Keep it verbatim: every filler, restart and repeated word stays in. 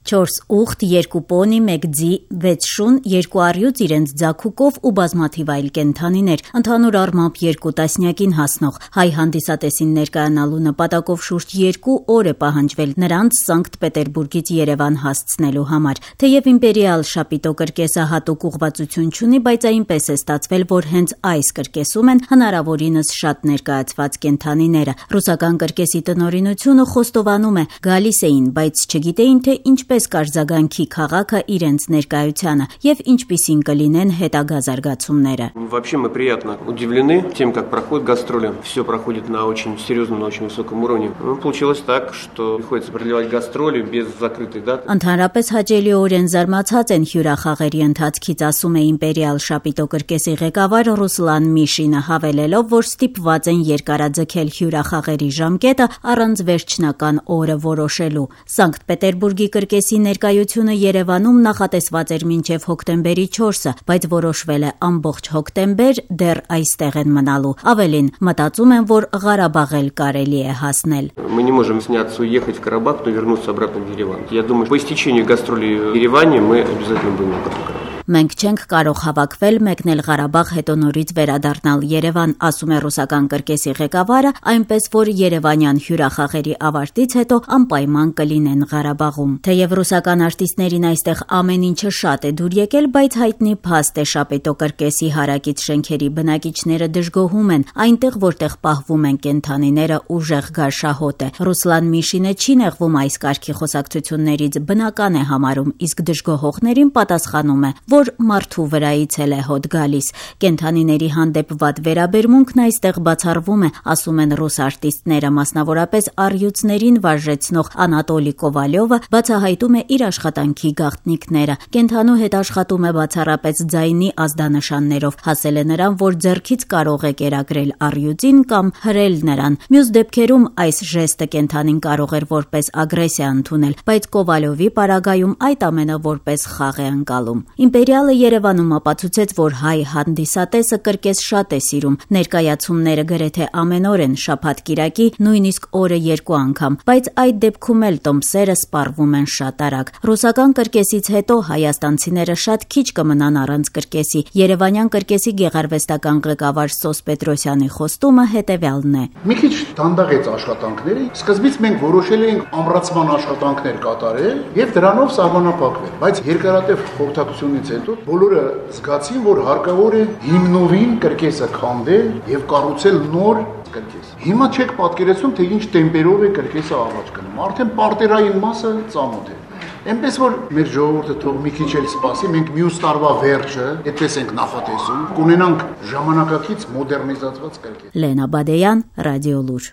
Չորս ուխտ, երկու պոնի, մեկ ձի, վեց շուն, երկու առյուծ իրենց ձագուկով ու բազմաթիվ այլ կենդանիներ, ընդհանուր առմամբ երկու տասնյակին հասնող։ Հայ հանդիսատեսին ներկայանալու նպատակով շուրջ երկու օր է պահանջվել նրանց Սանկտ Պետերբուրգից Երևան հասցնելու համար։ Թեև իմպերիալ շապիտո կրկեսը հատուկ ուղղվածություն չունի, բայց այնպես է ստացվել, որ հենց այս կրկեսում են հնարավորինս շատ ներկայացված կենդանիները։ Ռուսական կրկեսի տնօրինությունը խոստովանում է, գալիս էին, բայց չգիտեին, թե ինչպես կարձագանքի քաղաքը իրենց ներկայությանը եւ ինչպիսին կլինեն հետագա զարգացումները։ Вообще мы приятно удивлены тем, как проходят гастроли. Все проходит на очень серьезном, на очень высоком уровне. Ну, получилось так, что приходится продлевать гастроли без закрытой даты. Ընդհանրապես հաճելիորեն զարմացած են հյուրախաղերի ընթացքից, ասում է իմպերիալ շապիտո կրկեսի ղեկավար Ռուսլան Միշինը, հավելելով, որ ստիպված են երկարաձգել հյուրախաղերի ժամկետը առանց վերջնական օրը որոշելու։ Սանկտ Պետերբուրգի կրկեսի ներկայությունը Երևանում նախատեսված էր մինչև հոկտեմբերի չորսը, բայց որոշվել է ամբողջ հոկտեմբեր դեռ այստեղ են մնալու։ Ավելին, մտածում են, որ Ղարաբաղ էլ կարելի է հասնել։ Мы не можем сняться, уехать в Карабах, но вернуться обратно в Ереван. Я думаю, по истечению гастролей в Ереване мы обязательно будем в Карабахе. Մենք չենք կարող հավաքվել, մեկնել Ղարաբաղ, հետո նորից վերադառնալ Երևան, ասում է ռուսական կրկեսի ղեկավարը, այնպես որ երևանյան հյուրախաղերի ավարտից հետո անպայման կլինեն Ղարաբաղում։ Թեև ռուսական արտիստներին այստեղ ամեն ինչը շատ է դուր եկել, բայց հայտնի փաստ է շապետո կրկեսի հարակից շենքերի բնակիչները դժգոհում են, այնտեղ որտեղ պահվում են կենդանիները ուժեղ գարշահոտ է։ Ռուսլան Միշինը չի նեղվում այս կարգի խոսակցություններից, բնական է համարում, իսկ դժգոհողներին պատասխանում է, որ մարդու վրայից էլ է հոտ գալիս։ Կենդանիների հանդեպ վատ վերաբերմունքն այստեղ բացառվում է, ասում են ռուս արտիստները, մասնավորապես առյուծներին վարժեցնող Անատոլի Կովալյովը բացահայտում է իր աշխատանքի գաղտնիքները։ Կենդանու հետ աշխատում է բացառապես ձայնի ազդանշաններով, հասել է նրան, որ ձեռքից կարող է կերակրել առյուծին կամ հրել նրան։ Մյուս դեպքերում այս ժեստը կենդանին կարող էր որպես ագրեսիա ընդունել, բայց Կովալյովի պարագայում այդ ամենը որպես խաղ է ընկալում։ Իմպերիալը Երևանում ապացուցեց, որ հայ հանդիսատեսը կրկես շատ է սիրում, ներկայացումները գրեթե ամեն օր են, շաբաթ-կիրակի, նույնիսկ օրը երկու անգամ, բայց այդ դեպքում էլ տոմսերը սպառվում են շատ արագ։ Ռուսական կրկեսից հետո հայաստանցիները շատ քիչ կմնան առանց կրկեսի։ Երևանյան կրկեսի գեղարվեստական ղեկավար Սոս Պետրոսյանի խոստումը հետևյալն է։ Մի քիչ դանդաղեց աշխատանքները, սկզբից մենք որոշել էինք ամրացման աշխատանքներ կատարել եւ դրանով սահմանափակվել, բայց երկարատև խորհրդակցությունից հետո բոլորը զգացին, որ հարկավոր է հիմնովին կրկեսը քանդել եւ կառուցել նոր կրկես։ Հիմա չեք պատկերացնում, թե ինչ տեմպերով է կրկեսը առաջ գնում։ Արդեն պարտերային մասը ծանոթ է։ Այնպես որ մեր ժողովուրդը թող մի քիչ էլ սպասի, մենք մյուս տարվա վերջը, այդպես ենք նախատեսում, կունենանք ժամանակակից մոդեռնիզացված կրկես։ Լենա Բադեյան, Ռադիոլուր։